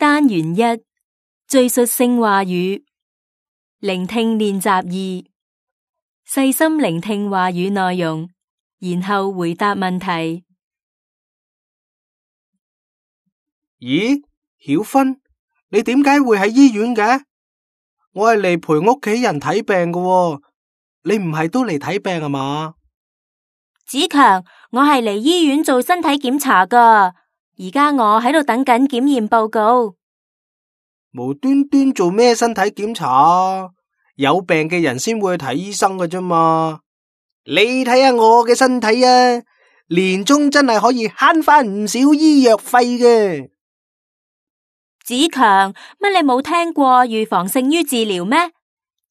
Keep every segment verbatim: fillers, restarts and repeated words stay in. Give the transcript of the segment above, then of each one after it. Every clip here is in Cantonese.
單元一，敘述性話語，聆聽練習二，細心聆聽話語內容，然後回答問題。咦，曉芬，你點解會喺醫院嘅？我係嚟陪屋企人睇病㗎喎，你唔係都嚟睇病啊嘛？子強，我係嚟醫院做身體檢查㗎，而家我喺度等緊檢驗報告。無端端做咩身體檢查啊？有病嘅人先會去睇醫生㗎啫嘛。你睇下我嘅身體啊，年終真係可以慳翻唔少醫藥費嘅。子強，乜你冇聽過預防勝於治療咩？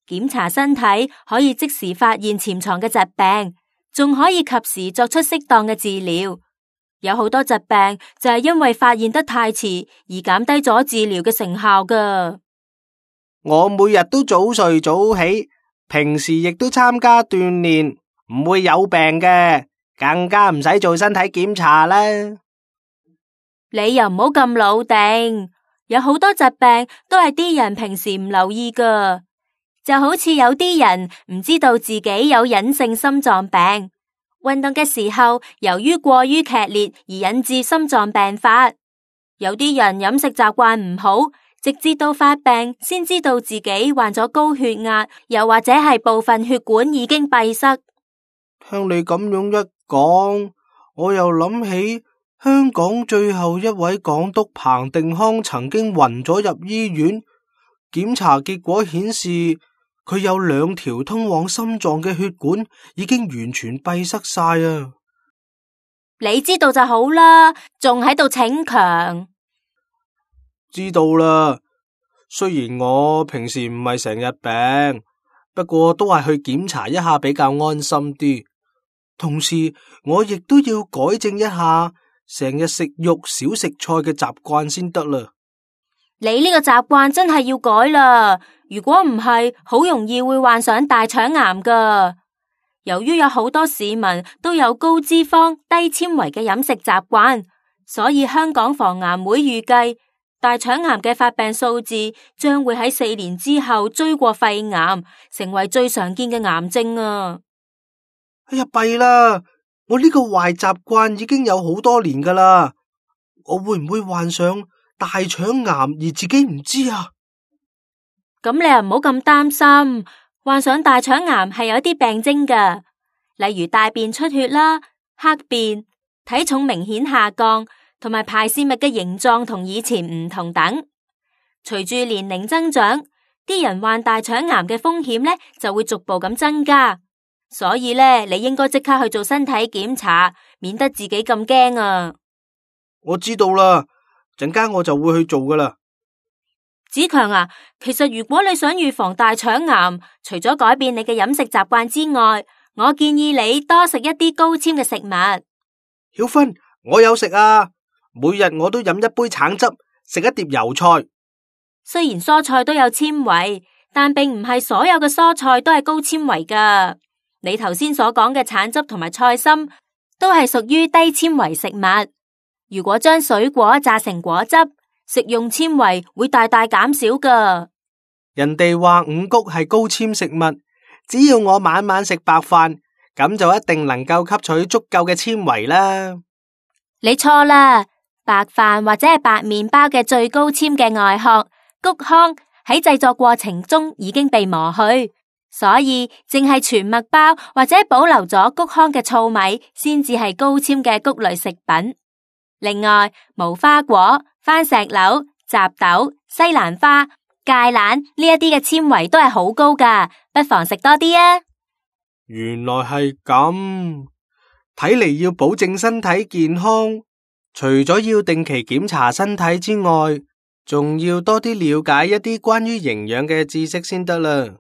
檢查身體可以即時發現潛藏嘅疾病，仲可以及時作出適當嘅治療。有好多疾病就係因為發現得太遲而減低咗治療嘅成效㗎。我每日都早睡早起，平時亦都參加鍛煉，唔會有病嘅，更加唔使做身體檢查啦。你又唔好咁老定，有好多疾病都係啲人平時唔留意㗎，就好似有啲人唔知道自己有隱性心臟病。運動嘅時候，由於過於劇烈而引致心臟病發。有啲人飲食習慣唔好，直至到發病先知道自己患咗高血壓，又或者係部分血管已經閉塞。聽你咁樣一講，我又諗起香港最後一位港督彭定康曾經暈咗入醫院，檢查結果顯示，佢有兩條通往心臟嘅血管已經完全閉塞晒啊！你知道就好啦，仲喺度逞強。知道啦，雖然我平時唔係成日病，不過都係去檢查一下比較安心啲。同時，我亦都要改正一下成日食肉少食菜嘅習慣先得啦。你呢個習慣真係要改啦，如果唔係，好容易會患上大腸癌㗎。由於有好多市民都有高脂肪、低纖維嘅飲食習慣，所以香港防癌會預計大腸癌嘅發病數字將會喺四年之後追過肺癌，成為最常見嘅癌症啊！哎呀，弊啦！我呢個壞習慣已經有好多年㗎啦，我會唔會患上大腸癌而自己唔知啊？咁你又唔好咁擔心，患上大腸癌係有啲病徵㗎，例如大便出血啦、黑便、體重明顯下降，同埋排泄物嘅形狀同以前唔同等。隨住年齡增長，啲人患大腸癌嘅風險呢就會逐步咁增加，所以呢，你應該即刻去做身體檢查，免得自己咁驚啊！我知道啦，陣間我就會去做噶啦。子強啊，其實如果你想預防大腸癌，除咗改變你嘅飲食習慣之外，我建議你多食一啲高纖嘅食物。曉芬，我有食啊，每日我都飲一杯橙汁，食一碟油菜。雖然蔬菜都有纖維，但並唔係所有嘅蔬菜都係高纖維㗎。你頭先所講嘅橙汁同埋菜心都係屬於低纖維食物。如果將水果榨成果汁，食用纖維會大大減少㗎。人哋話五穀係高纖食物，只要我晚晚食白飯，咁就一定能夠吸取足夠嘅纖維啦。你錯啦，白飯或者係白麵包嘅最高纖嘅外殼穀糠喺製作過程中已經被磨去，所以淨係全麥包或者保留咗穀糠嘅糙米先至係高纖嘅穀類食品。另外，無花果、番石榴、雜豆、西蘭花、芥蘭呢一啲嘅纖維都係好高㗎，不妨食多啲啊！原來係咁，睇嚟要保證身體健康，除咗要定期檢查身體之外，仲要多啲了解一啲關於營養嘅知識先得啦。